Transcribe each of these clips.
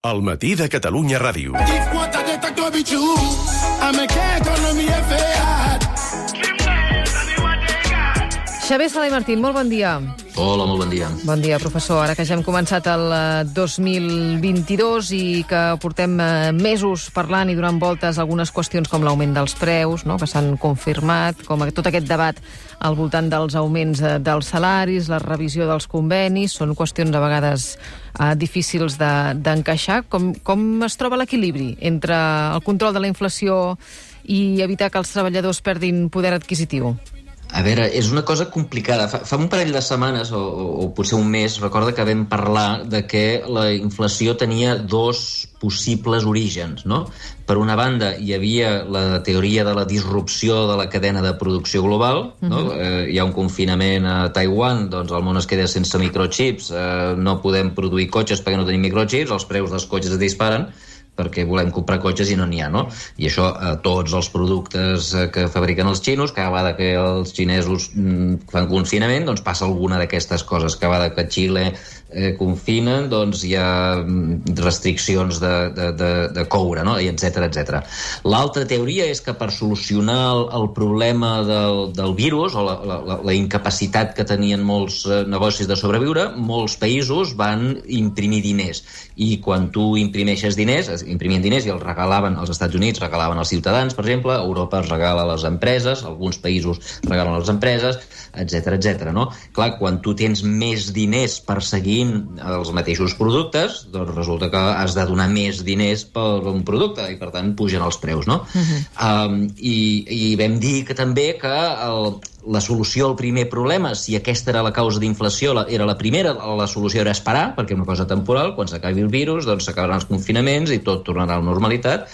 El matí de Catalunya Ràdio. Xavier Sala i Martín, molt bon dia. Hola, molt bon dia. Bon dia, professor. Ara que ja hem començat el 2022 i que portem mesos parlant i donant voltes a algunes qüestions com l'augment dels preus, no?, que s'han confirmat, com tot aquest debat al voltant dels augments dels salaris, la revisió dels convenis, són qüestions a vegades difícils d'encaixar. Com es troba l'equilibri entre el control de la inflació i evitar que els treballadors perdin poder adquisitiu? A veure, és una cosa complicada. Fa un parell de setmanes, o potser un mes, recorda que vam parlar de que la inflació tenia dos possibles orígens, no? Per una banda, hi havia la teoria de la disrupció de la cadena de producció global, no? Hi ha un confinament a Taiwan, doncs el món es queda sense microchips, no podem produir cotxes perquè no tenim microchips, els preus dels cotxes es disparen, perquè volem comprar cotxes i no n'hi ha, no? I això, tots els productes que fabriquen els xinos, cada vegada que els xinesos fan confinament, doncs passa alguna d'aquestes coses. Cada vegada que Xile confinen, doncs hi ha restriccions de coure, no? I etcètera, etcètera. L'altra teoria és que per solucionar el problema del virus, o la incapacitat que tenien molts negocis de sobreviure, molts països van imprimir diners. I quan tu imprimeixes diners, imprimien diners i els regalaven als Estats Units, regalaven als ciutadans, per exemple, a Europa es regala a les empreses, alguns països regalen a les empreses, etcètera, etcètera, no? Clar, quan tu tens més diners perseguint els mateixos productes, doncs resulta que has de donar més diners per un producte i, per tant, pugen els preus, no? I vam dir que també que la solució al primer problema, si aquesta era la causa d'inflació, era la primera, la solució era esperar, perquè és una cosa temporal, quan s'acabi el virus, doncs s'acabaran els confinaments i tot tornarà a la normalitat,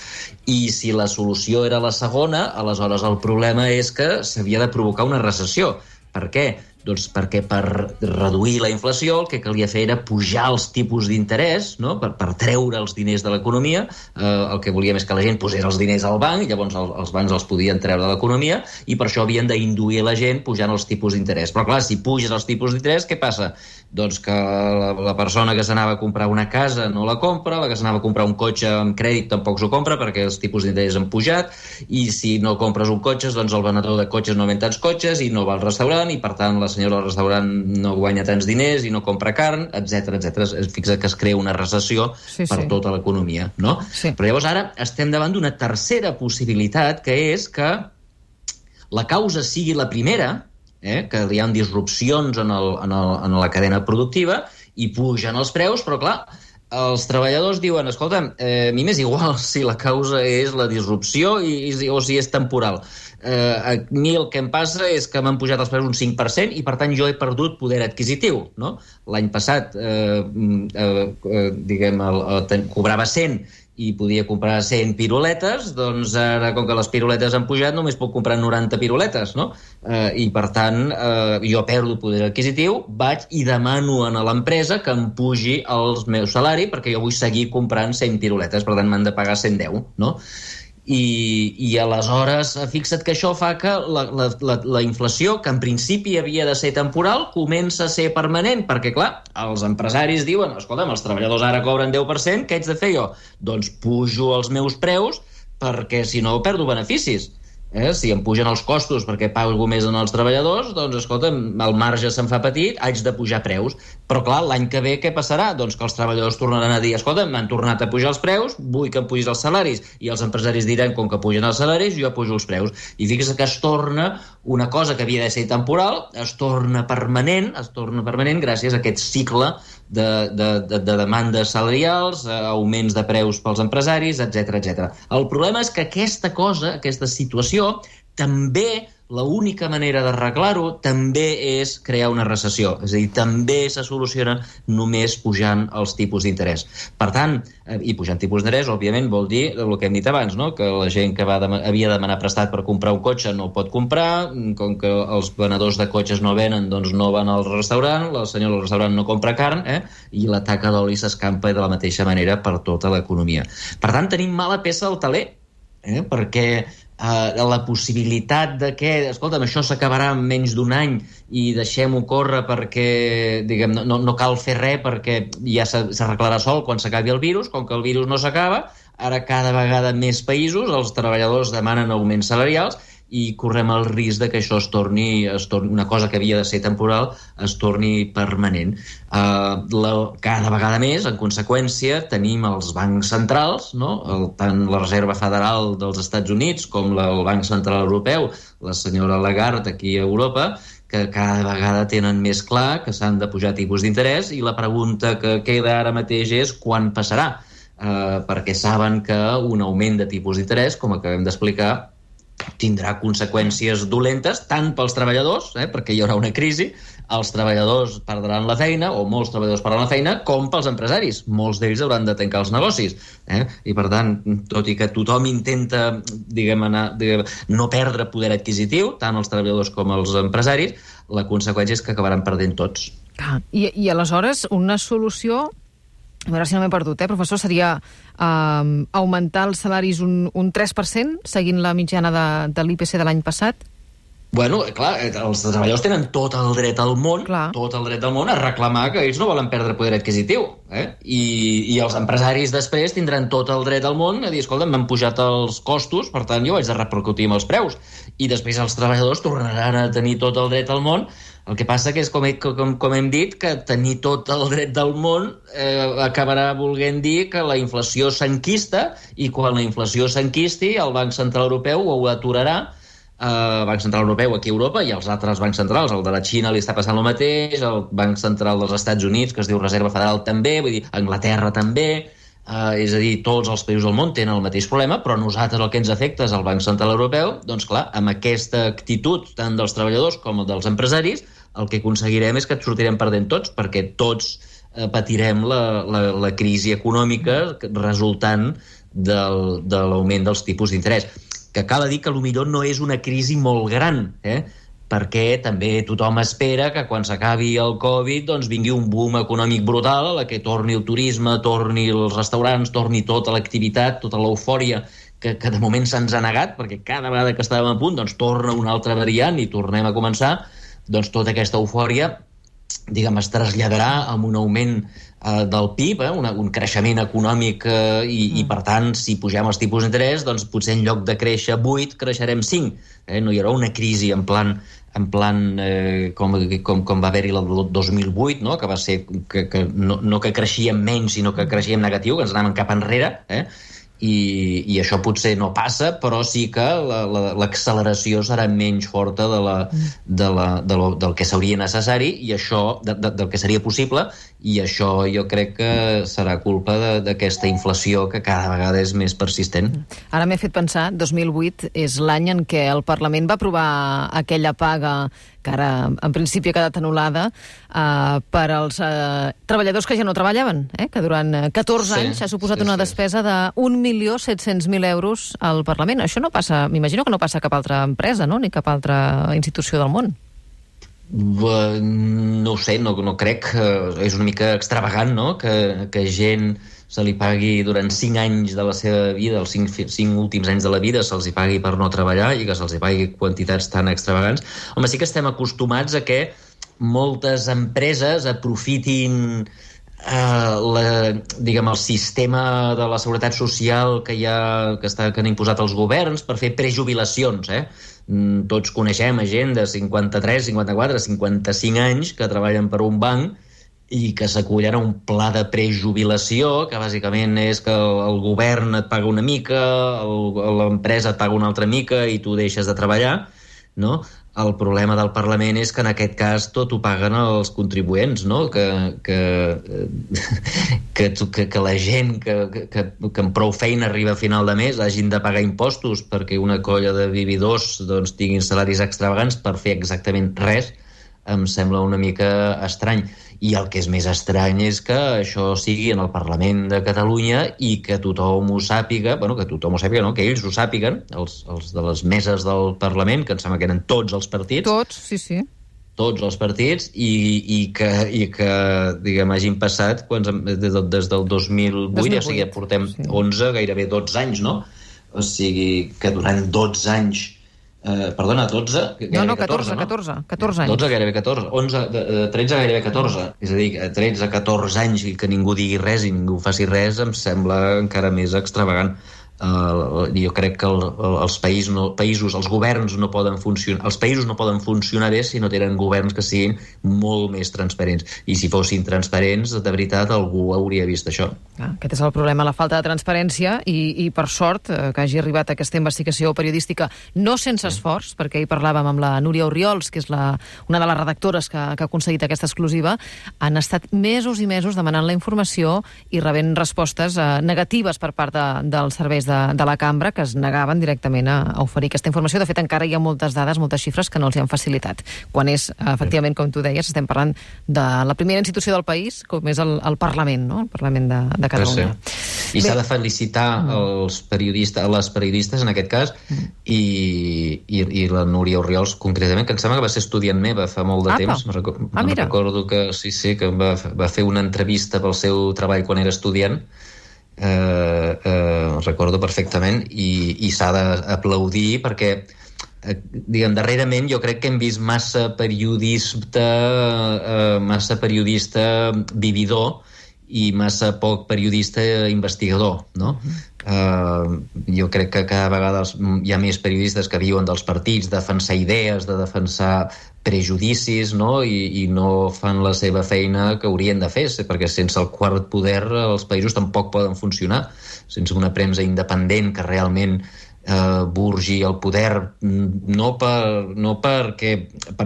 i si la solució era la segona, aleshores el problema és que s'havia de provocar una recessió. Per què? Doncs perquè per reduir la inflació el que calia fer era pujar els tipus d'interès, no? Per treure els diners de l'economia. El que volíem és que la gent posés els diners al banc, i llavors els bancs els podien treure de l'economia, i per això havien d'induir la gent pujant els tipus d'interès. Però clar, si puges els tipus d'interès, què passa? Doncs que la persona que s'anava a comprar una casa no la compra, la que s'anava a comprar un cotxe amb crèdit tampoc s'ho compra perquè els tipus d'interès han pujat, i si no compres un cotxe, doncs el venedor de cotxes no ven tants cotxes i no va al restaurant, i per tant la senyora del restaurant no guanya tants diners i no compra carn, etcètera, etcètera. Fixa que es crea una recessió per tota l'economia, no? Sí. Però llavors ara estem davant d'una tercera possibilitat, que és que la causa sigui la primera, que hi ha disrupcions en la cadena productiva i pugen els preus, però clar, els treballadors diuen, escolta, a mi m'és igual si la causa és la disrupció o si és temporal. A mi el que em passa és que m'han pujat els preus un 5% i per tant jo he perdut poder adquisitiu, no? L'any passat cobrava 100 i podia comprar 100 piruletes, doncs ara, com que les piruletes han pujat, només puc comprar 90 piruletes, no? I per tant jo perdo poder adquisitiu, vaig i demano a l'empresa que em pugi el meu salari perquè jo vull seguir comprant 100 piruletes, per tant m'han de pagar 110, no? I aleshores fixa't que això fa que la inflació, que en principi havia de ser temporal, comença a ser permanent, perquè clar, els empresaris diuen, escolta'm, els treballadors ara cobren 10%, què haig de fer jo? Doncs pujo els meus preus perquè si no perdo beneficis. Si em pugen els costos perquè pago més en els treballadors, doncs, escolta'm, el marge se'n fa petit, haig de pujar preus. Però, clar, l'any que ve què passarà? Doncs que els treballadors tornaran a dir, escolta'm, m'han tornat a pujar els preus, vull que em pugis els salaris. I els empresaris diran, com que pugen els salaris, jo pujo els preus. I fixa't que es torna una cosa que havia de ser temporal, es torna permanent gràcies a aquest cicle de demandes salarials, augments de preus pels empresaris, etcètera, etcètera. El problema és que aquesta situació, també l'única manera d'arreglar-ho també és crear una recessió. És a dir, també se soluciona només pujant els tipus d'interès. Per tant, i pujant tipus d'interès, òbviament, vol dir el que hem dit abans, no? Que la gent que havia de demanar prestat per comprar un cotxe no el pot comprar, com que els venedors de cotxes no venen, doncs no van al restaurant, la senyora del restaurant no compra carn, i la taca d'oli s'escampa de la mateixa manera per tota l'economia. Per tant, tenim mala peça al teler. perquè la possibilitat de que, escolta'm, això s'acabarà en menys d'un any i deixem-ho córrer perquè, diguem, no cal fer res perquè ja s'arreglarà sol quan s'acabi el virus. Com que el virus no s'acaba, ara cada vegada més països, els treballadors demanen augments salarials i correm el risc de que això es torni una cosa que havia de ser temporal, es torni permanent. Cada vegada més, en conseqüència, tenim els bancs centrals, no? Tant la Reserva Federal dels Estats Units com el Banc Central Europeu, la senyora Lagarde aquí a Europa, que cada vegada tenen més clar que s'han de pujar tipus d'interès, i la pregunta que queda ara mateix és quan passarà, perquè saben que un augment de tipus d'interès, com acabem d'explicar, tindrà conseqüències dolentes tant pels treballadors, perquè hi haurà una crisi, els treballadors perdran la feina, o molts treballadors perdran la feina, com pels empresaris. Molts d'ells hauran de tancar els negocis. I, per tant, tot i que tothom intenta no perdre poder adquisitiu, tant els treballadors com els empresaris, la conseqüència és que acabaran perdent tots. I aleshores, una solució, a veure si no m'he perdut, professor, seria augmentar els salaris un 3%, seguint la mitjana de l'IPC de l'any passat? Bueno, clar, els treballadors tenen tot el dret del món, a reclamar que ells no volen perdre poder adquisitiu. I els empresaris després tindran tot el dret del món a dir, escolta, m'han pujat els costos, per tant jo haig de repercutir amb els preus. I després els treballadors tornaran a tenir tot el dret del món. El que passa que és, com hem dit, que tenir tot el dret del món acabarà volent dir que la inflació s'enquista, i quan la inflació s'enquisti el Banc Central Europeu ho aturarà. El Banc Central Europeu aquí a Europa i els altres bancs centrals, el de la Xina li està passant el mateix, el Banc Central dels Estats Units, que es diu Reserva Federal, també, vull dir, Anglaterra també, és a dir, tots els països del món tenen el mateix problema, però nosaltres el que ens afecta és el Banc Central Europeu. Doncs clar, amb aquesta actitud tant dels treballadors com dels empresaris, el que aconseguirem és que et sortirem perdent tots, perquè tots patirem la crisi econòmica resultant de l'augment dels tipus d'interès. Que cal dir que potser no és una crisi molt gran, perquè també tothom espera que quan s'acabi el Covid doncs vingui un boom econòmic brutal, a la que torni el turisme, torni els restaurants, torni tota l'activitat, tota l'eufòria que de moment se'ns ha negat, perquè cada vegada que estàvem a punt doncs torna una altra variant i tornem a començar. Doncs tota aquesta eufòria, diguem, es traslladarà amb un augment del PIB, un creixement econòmic, i per tant, si pugem els tipus d'interès, doncs potser en lloc de créixer 8, creixerem 5. No hi haurà una crisi en plan com va haver-hi el 2008, no? Que va ser no que creixíem menys, sinó que creixíem negatiu, que ens anàvem cap enrere, i això potser no passa, però sí que l'acceleració serà menys forta del que seria necessari, i això del que seria possible, i això jo crec que serà culpa d'aquesta inflació que cada vegada és més persistent. Ara m'he fet pensar, 2008 és l'any en què el Parlament va aprovar aquella paga que ara en principi ha quedat anul·lada per als treballadors que ja no treballaven, que durant 14 anys ha suposat una despesa de 1.700.000 euros al Parlament. Això no passa, m'imagino que no passa a cap altra empresa, no? Ni cap altra institució del món. No ho sé, no crec. És una mica extravagant, no?, que gent se li pagui durant 5 anys de la seva vida, els 5 últims anys de la vida, se'ls hi pagui per no treballar i que se'ls hi pagui quantitats tan extravagants. Home, sí que estem acostumats a que moltes empreses aprofitin el sistema de la seguretat social que han imposat els governs per fer prejubilacions. Tots coneixem gent de 53, 54, 55 anys que treballen per un banc i que s'acullen a un pla de prejubilació, que bàsicament és que el govern et paga una mica, l'empresa et paga una altra mica i tu deixes de treballar, no? El problema del Parlament és que en aquest cas tot ho paguen els contribuents, no? Que la gent que amb prou feina arriba a final de mes hagin de pagar impostos perquè una colla de vividors doncs, tinguin salaris extravagants per fer exactament res, em sembla una mica estrany. I el que és més estrany és que això sigui en el Parlament de Catalunya i que tothom ho sàpiga, que ells ho sàpiguen, els de les meses del Parlament, que em sembla que eren tots els partits. Tots, sí. Tots els partits, i que diguem, hagin passat des del 2008, ja sigui, portem 11, gairebé 12 anys, no?, o sigui que durant 12 anys, 12? No, 14 anys. 12, gairebé 14, 13 gairebé 14, és a dir, 13-14 anys i que ningú digui res i ningú faci res em sembla encara més extravagant. Jo crec que els països, els governs no poden funcionar, els països no poden funcionar bé si no tenen governs que siguin molt més transparents, i si fossin transparents de veritat algú hauria vist això. Aquest és el problema, la falta de transparència, i per sort que hagi arribat aquesta investigació periodística no sense esforç, perquè ahir parlàvem amb la Núria Orriols, que és una de les redactores que ha aconseguit aquesta exclusiva. Han estat mesos i mesos demanant la informació i rebent respostes negatives per part dels serveis de la cambra, que es negaven directament a oferir aquesta informació. De fet, encara hi ha moltes dades, moltes xifres que no els hi han facilitat. Quan és, efectivament, com tu deies, estem parlant de la primera institució del país, com és el Parlament, no? El Parlament de Catalunya. Sí. I s'ha de felicitar les periodistes, en aquest cas, i la Núria Orriols, concretament, que em sembla que va ser estudiant meva fa molt de temps. Recordo que sí, que va fer una entrevista pel seu treball quan era estudiant. Recordo perfectament, i s'ha d'aplaudir perquè darrerament jo crec que hem vist massa periodista vividor i massa poc periodista investigador, no? Jo crec que cada vegada hi ha més periodistes que viuen dels partits, defensar idees, de defensar prejudicis, no? I no fan la seva feina que haurien de fer, perquè sense el quart poder els països tampoc poden funcionar. Sense una premsa independent que realment burgi el poder, no per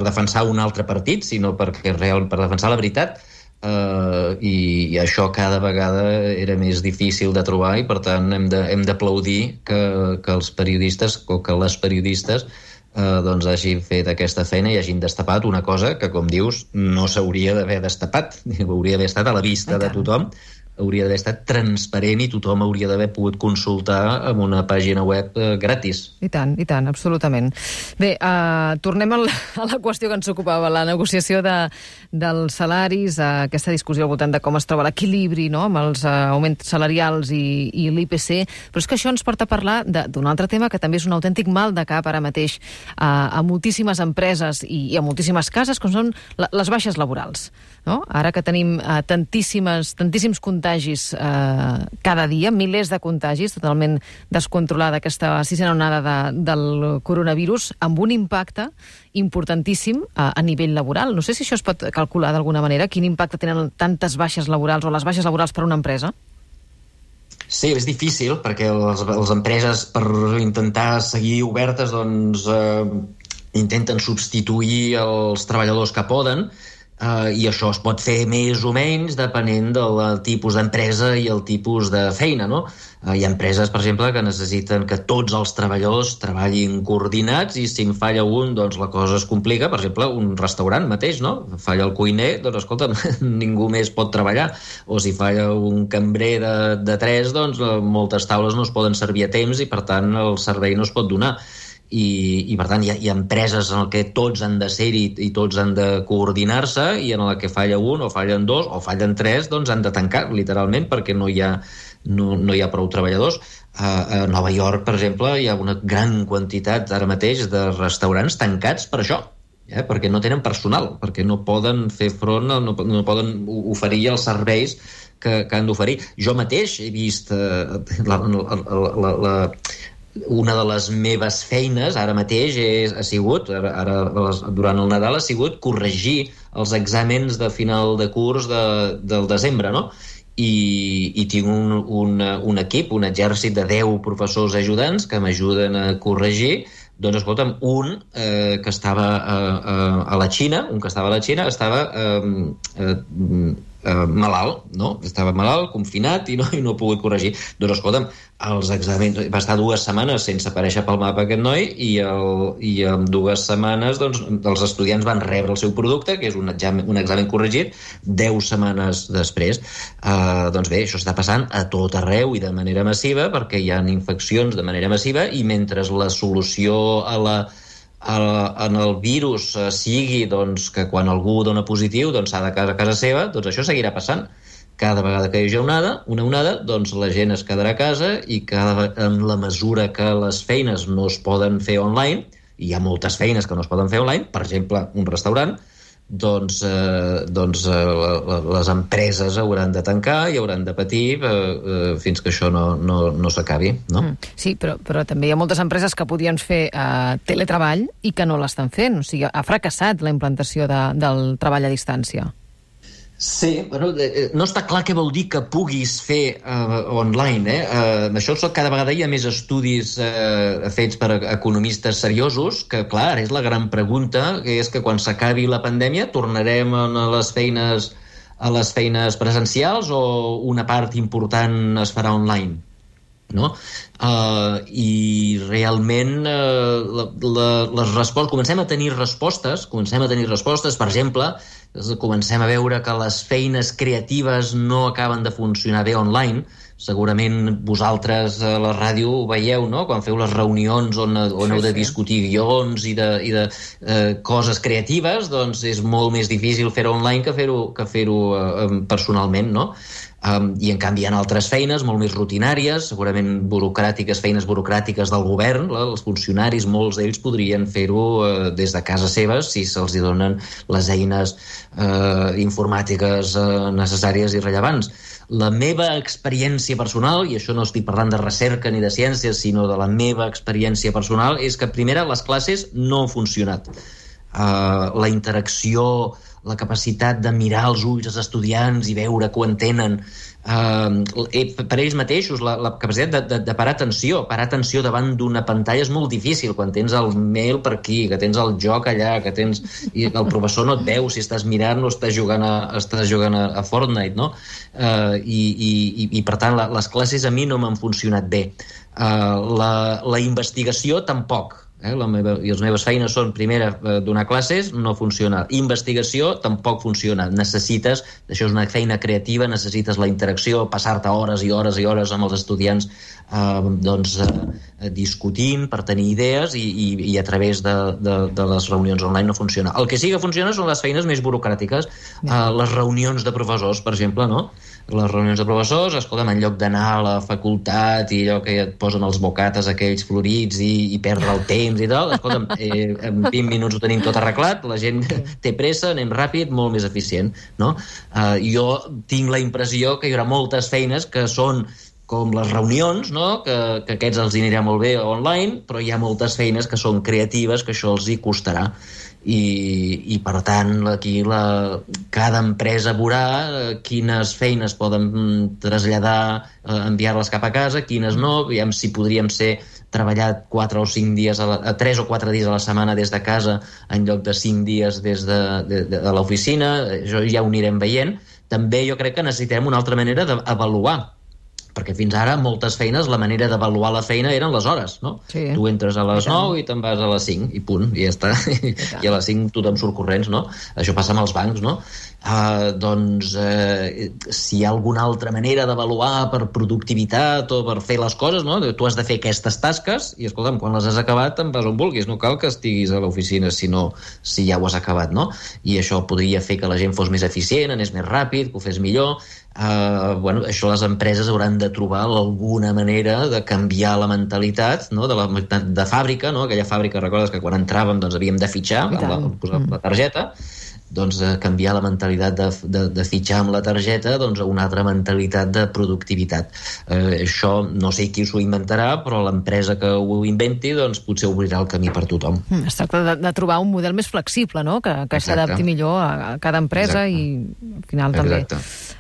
defensar un altre partit, sinó per defensar la veritat. I això cada vegada era més difícil de trobar, i per tant hem d'aplaudir que els periodistes o que les periodistes hagin fet aquesta feina i hagin destapat una cosa que, com dius, no s'hauria d'haver destapat, hauria d'haver estat a la vista de tothom, hauria d'haver estat transparent i tothom hauria d'haver pogut consultar amb una pàgina web gratis. I tant, absolutament. Bé, tornem a la qüestió que ens ocupava, la negociació dels salaris, aquesta discussió al voltant de com es troba l'equilibri, no?, amb els augments salarials i l'IPC, però és que això ens porta a parlar d'un altre tema que també és un autèntic mal de cap ara mateix a moltíssimes empreses i a moltíssimes cases, com són les baixes laborals, no? Ara que tenim tantíssims contagis cada dia, milers de contagis, totalment descontrolada aquesta sisena onada del coronavirus, amb un impacte importantíssim a nivell laboral. No sé si això es pot calcular d'alguna manera, quin impacte tenen tantes baixes laborals o les baixes laborals per una empresa? Sí, és difícil, perquè les empreses, per intentar seguir obertes, intenten substituir els treballadors que poden, i això es pot fer més o menys depenent del tipus d'empresa i el tipus de feina, no? Hi ha empreses, per exemple, que necessiten que tots els treballadors treballin coordinats, i si en falla un, doncs la cosa es complica. Per exemple, un restaurant mateix, no? Falla el cuiner, doncs escolta, ningú més pot treballar. O si falla un cambrer de 3, doncs moltes taules no es poden servir a temps i per tant el servei no es pot donar. I per tant hi ha empreses en què tots han de ser-hi i tots han de coordinar-se, i en la que falla un o fallen dos o fallen 3, doncs han de tancar literalment perquè no hi ha prou treballadors. A Nova York, per exemple, hi ha una gran quantitat ara mateix de restaurants tancats per això, perquè no tenen personal, perquè no poden fer front, no poden oferir els serveis que han d'oferir. Jo mateix he vist una de les meves feines ara mateix ha sigut, durant el Nadal, ha sigut corregir els exàmens de final de curs del desembre, no? I tinc un equip, un exèrcit de 10 professors ajudants que m'ajuden a corregir. Doncs escolta'm, un que estava a la Xina, estava malalt, no? Estava malalt, confinat, i no ha pogut corregir. Doncs escolta'm, els exàmens, va estar 2 setmanes sense aparèixer pel mapa aquest noi, i en 2 setmanes doncs, els estudiants van rebre el seu producte, que és un examen corregit, 10 setmanes després. Doncs bé, això està passant a tot arreu i de manera massiva, perquè hi ha infeccions de manera massiva, i mentre la solució en el virus sigui doncs, que quan algú dona positiu doncs s'ha de quedar a casa seva, doncs això seguirà passant. cada vegada que hi hagi una onada, doncs la gent es quedarà a casa i en la mesura que les feines no es poden fer online, i hi ha moltes feines que no es poden fer online, per exemple, un restaurant, doncs les empreses hauran de tancar i hauran de patir fins que això no s'acabi, no? Sí, però també hi ha moltes empreses que podien fer teletreball i que no l'estan fent. O sigui, ha fracassat la implantació del treball a distància. Sí, bueno, no està clar què vol dir que puguis fer online, Això cada vegada hi ha més estudis fets per economistes seriosos, que, clar, és la gran pregunta, que és que quan s'acabi la pandèmia tornarem a les feines presencials o una part important es farà online, no? I realment les respostes, comencem a tenir respostes, per exemple, comencem a veure que les feines creatives no acaben de funcionar bé online. Segurament vosaltres a la ràdio ho veieu, no? Quan feu les reunions on heu de discutir guions i de coses creatives, doncs és molt més difícil fer-ho online que fer-ho personalment, no? I en canvi hi ha altres feines molt més rutinàries, segurament burocràtiques, feines burocràtiques del govern, els funcionaris, molts d'ells podrien fer-ho des de casa seves si se'ls donen les eines informàtiques necessàries i rellevants. La meva experiència personal, i això no estic parlant de recerca ni de ciències, sinó de la meva experiència personal, és que, primera, les classes no han funcionat. La interacció, la capacitat de mirar als ulls als estudiants i veure que ho entenen, per ells mateixos, la capacitat de parar atenció davant d'una pantalla és molt difícil, quan tens el mail per aquí, que tens el joc allà, i el professor no et veu si estàs mirant o estàs jugant a Fortnite, no? I per tant, les classes a mi no m'han funcionat bé. La investigació tampoc. I les meves feines són, primera, donar classes, no funciona. Investigació tampoc funciona. Això és una feina creativa, necessites la interacció, passar-te hores i hores i hores amb els estudiants discutint per tenir idees i a través de les reunions online no funciona. El que sí que funciona són les feines més burocràtiques, les reunions de professors, per exemple, no? Les reunions de professors, escolta'm, en lloc d'anar a la facultat i allò que et posen els bocates aquells florits i perdre el temps i tal, escolta'm, en 20 minuts ho tenim tot arreglat, la gent té pressa, anem ràpid, molt més eficient, no? Jo tinc la impressió que hi haurà moltes feines que són com les reunions, no? Que aquests els anirà molt bé online, però hi ha moltes feines que són creatives, que això els hi costarà. I per tant, aquí cada empresa veurà quines feines poden traslladar, enviar-les cap a casa, quines no, aviam si podríem treballar 4 o 5 dies, 3 o 4 dies a la setmana des de casa en lloc de 5 dies des de l'oficina. Això ja ho anirem veient. També jo crec que necessitem una altra manera d'avaluar, perquè fins ara moltes feines la manera d'avaluar la feina eren les hores, no? Sí. Tu entres a les 9 i te'n vas a les 5 i punt, i ja està. I a les 5 tothom surt corrents, no? Això passa amb els bancs, no? Si hi ha alguna altra manera d'avaluar per productivitat o per fer les coses, no? Tu has de fer aquestes tasques i, escolta'm, quan les has acabat te'n vas on vulguis, no cal que estiguis a l'oficina si ja ho has acabat, no? I això podria fer que la gent fos més eficient, anés més ràpid, que ho fes millor. Això les empreses hauran de trobar alguna manera de canviar la mentalitat, no? de fàbrica, no? Aquella fàbrica, recordes que quan entràvem doncs havíem de fitxar posar la targeta, doncs canviar la mentalitat de fitxar amb la targeta doncs a una altra mentalitat de productivitat. Això no sé qui s'ho inventarà, però l'empresa que ho inventi doncs potser obrirà el camí per tothom. Es tracta de trobar un model més flexible, no? Que s'adapti millor a cada empresa. Exacte. I al final també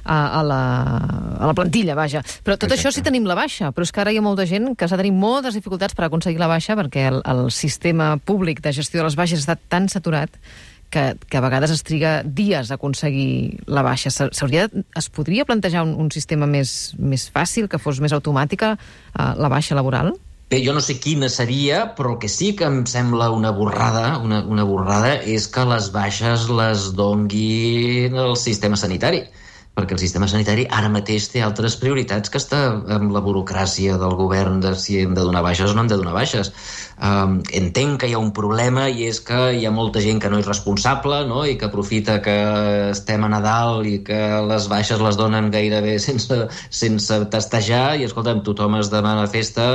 a la plantilla, vaja. Però tot això sí tenim la baixa, però és que ara hi ha molta gent que s'ha de tenir moltes dificultats per aconseguir la baixa perquè el sistema públic de gestió de les baixes està tan saturat que a vegades es triga dies a aconseguir la baixa. Es podria plantejar un sistema més fàcil, que fos més automàtica la baixa laboral? Bé, jo no sé quina seria, però el que sí que em sembla una borrada és que les baixes les dongui el sistema sanitari. perquè el sistema sanitari ara mateix té altres prioritats que està amb la burocràcia del govern de si hem de donar baixes o no hem de donar baixes. Entenc que hi ha un problema i és que hi ha molta gent que no és responsable, no? I que aprofita que estem a Nadal i que les baixes les donen gairebé sense testejar i, escolta'm, tothom es demana festa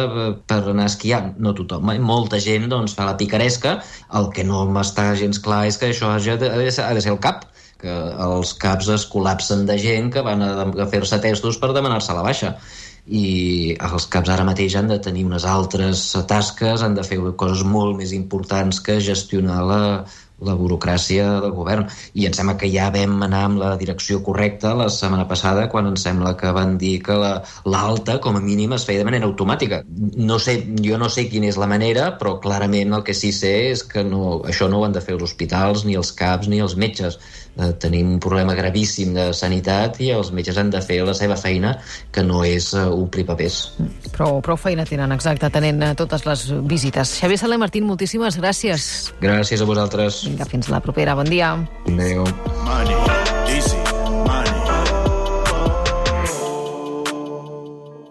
per anar a esquiar. No tothom, molta gent doncs, fa la picaresca. El que no m'està gens clar és que això ha de ser el CAP, que els CAPs es col·lapsen de gent que van a fer-se testos per demanar-se la baixa. I els CAPs ara mateix han de tenir unes altres tasques, han de fer coses molt més importants que gestionar la burocràcia del govern. I em sembla que ja vam anar amb la direcció correcta la setmana passada, quan em sembla que van dir que l'alta, com a mínim, es feia de manera automàtica. Jo no sé quina és la manera, però clarament el que sí sé és que això no ho han de fer els hospitals, ni els CAPs, ni els metges. Tenim un problema gravíssim de sanitat i els metges han de fer la seva feina, que no és omplir papers. Prou feina tenen, exacte, atenent totes les visites. Xavier Saler Martín, moltíssimes gràcies. Gràcies a vosaltres. Vinga, fins la propera. Bon dia. Adéu.